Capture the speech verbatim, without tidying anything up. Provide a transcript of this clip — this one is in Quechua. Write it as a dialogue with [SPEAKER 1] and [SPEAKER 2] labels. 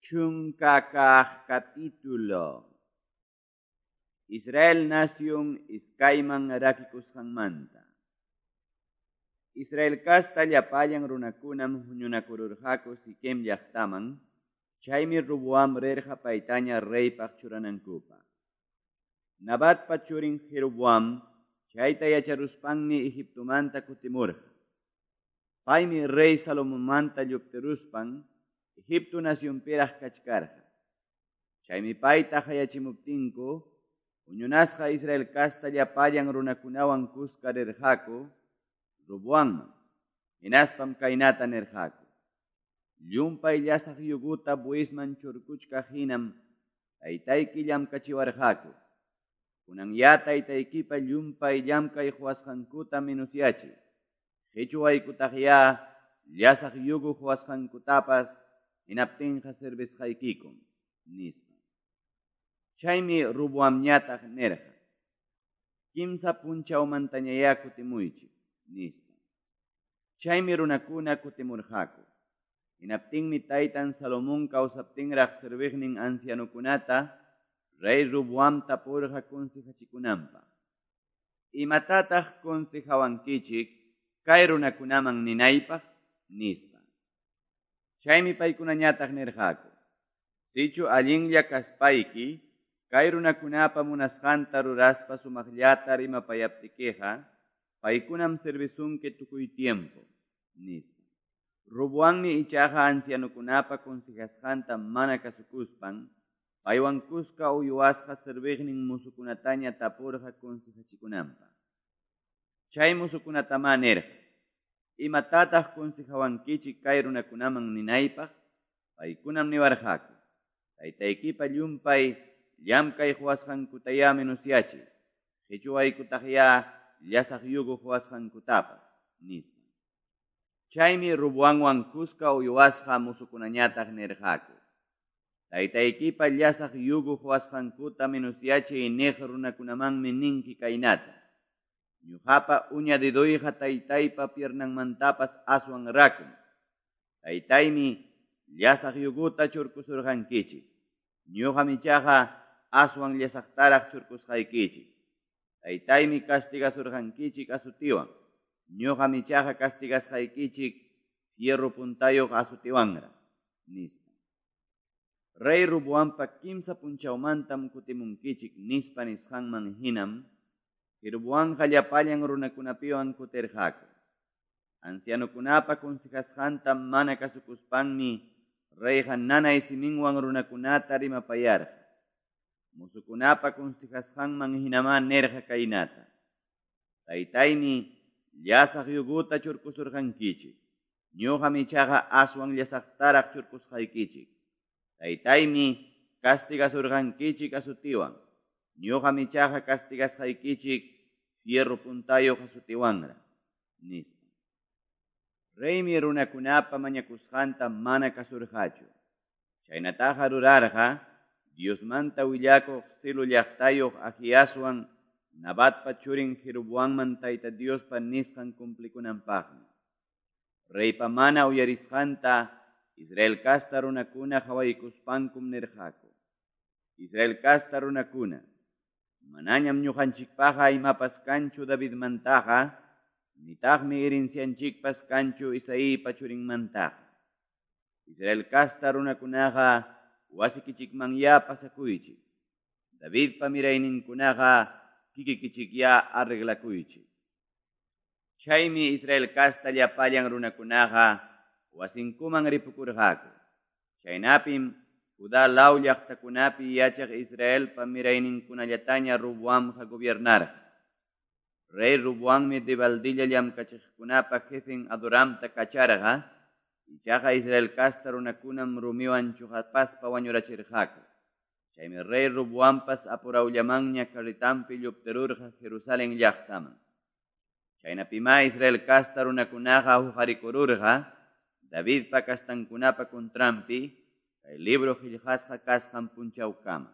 [SPEAKER 1] Chunka kaq capítulo. Israel nación iskayman rakikusqanmanta. Israel kasta llapallan runakunam huñunakururqaku Siquem llaqtaman, chaymi Roboam rirqa paytaña reypaq churanankupaq. Nabatpa churin Jeroboam chayta yacharuspanmi Egiptomanta kutimurqa. Paymi rey Salomonmanta lluptiruspan Egipto nacionpiraq kachkarqa. Chaymi payta hayachimuptinku, huñunasqa Israel kasta llapallan runakunawan kuska rirqaku Roboamman, hinaspam kaynata nirqaku: Llumpay llasaq yuguta bueyesman churkuchkaq hinam taytayki llamkachiwarqaku. Kunanyá taytaykipa llumpay llamkay quwasqankuta minusyachiy. Qichwaykutaqyá llasaq yugu quwasqankutapas hinaptinqa servisqaykikum, nispa. Chaymi Roboamñataq nirqa: Kimsa punchawmantañayá kutimuychik, nispa. Chaymi runakuna kutimurqaku. Hinaptinmi taytan Salomón kawsaptinraq serviqnin ancianokunata rey Roboam tapurqa consejachikunanpaq. Imatataq consejawankichik kay runakunaman ninaypaq, nispa. Chaymi paykunañataq nirqaku: Sichu allinlla kaspayki, kay runakunapa munasqanta ruraspa sumaqllata rimapayaptikiqa, paykunam servisunki tukuy tiempo, nispa. Roboammi ichaqa ancianokunapa consejasqanta mana kasukuspan, paywan kuska uywasqa serviqnin musukunataña tapurqa consejachikunanpaq. Chay musukunatamá nirqa: Imatataq consejawankichik kay runakunaman ninaypaq? Paykunam niwarqaku: Taytaykipa llumpay llamkay quwasqankutayá minusyachiy, qichwaykutaqyá llasaq yugu quwasqankutapas, nispa. Chaymi Roboamwan kuska uywasqa musukunañataq nirqaku: Taytaykipa llasaq yugu quwasqankuta minusyachiy niq runakunamanmi ninki kaynata: Ñuqapa uña dedoyqa taytaypa piernanmantapas aswan rakum. Taytaymi llasaq yuguta churkusurqankichik. Ñuqam ichaqa aswan llasaqtaraq churkusqaykichik. Taytaymi castigasurqankichik azutiwan. Ñuqam ichaqa castigasqaykichik fierro puntayuq azutiwanraq, nispa. Rey Roboampa kimsa punchawmantam kutimunkichik nispa nisqanman hinam Jeroboamqa llapallan runakunapiwan kutirqaku. Ancianokunapa consejasqanta mana kasukuspanmi reyqa nanay siminwan runakunata rimapayarqa. Musukunapa consejasqanman hinamá nirqa kaynata: Taytaymi llasaq yuguta churkusurqankichik. Ñuqam ichaqa aswan llasaqtaraq churkusqaykichik. Taytaymi castigasurqankichik azutiwan. Ñuqam ichaqa castigasqaykichik fierro puntayuq azutiwanraq, nispa. Reymi runakunapa mañakusqanta mana kasurqachu. Chaynataqa rurarqa Diosmanta willakuq Silo llaqtayuq Ahiaswan Nabatpa churin Jeroboamman Tayta Diospa nisqan cumplikunanpaqmi. Reypa mana uyarisqanta Israel kasta runakuna qhawaykuspankum nirqaku: Israel kasta runakuna, manañam ñuqanchikpaqa imapas kanchu Davidmantaqa, nitaqmi herencianchikpas kanchu Isaípa churinmantaqa. Israel kasta runakunaqa wasikichikmanyá pasakuychik. Davidpa mirayninkunaqa kikikichikyá arreglakuychik. Chaymi Israel kasta llapallan runakunaqa wasinkuman ripukurqaku. Chaynapim Judá law llaqtakunapi yachaq Israelpa mirayninkunallataña Roboamqa gobiernarqa. Rey Roboammi debaldilla llamkachiqkunapa jefen Adoramta kacharqa, ichaqa Israel kasta runakunam rumiwan chuqapaspa wañurachirqaku. Chaymi rey Roboampas apurawllamanña carretampi lluptirurqa Jerusalén llaqtaman. Chaynapimá Israel kasta runakunaqa huqarikururqa Davidpa kastankunapa contranpi, kay libro qillqasqa kasqan punchawkama.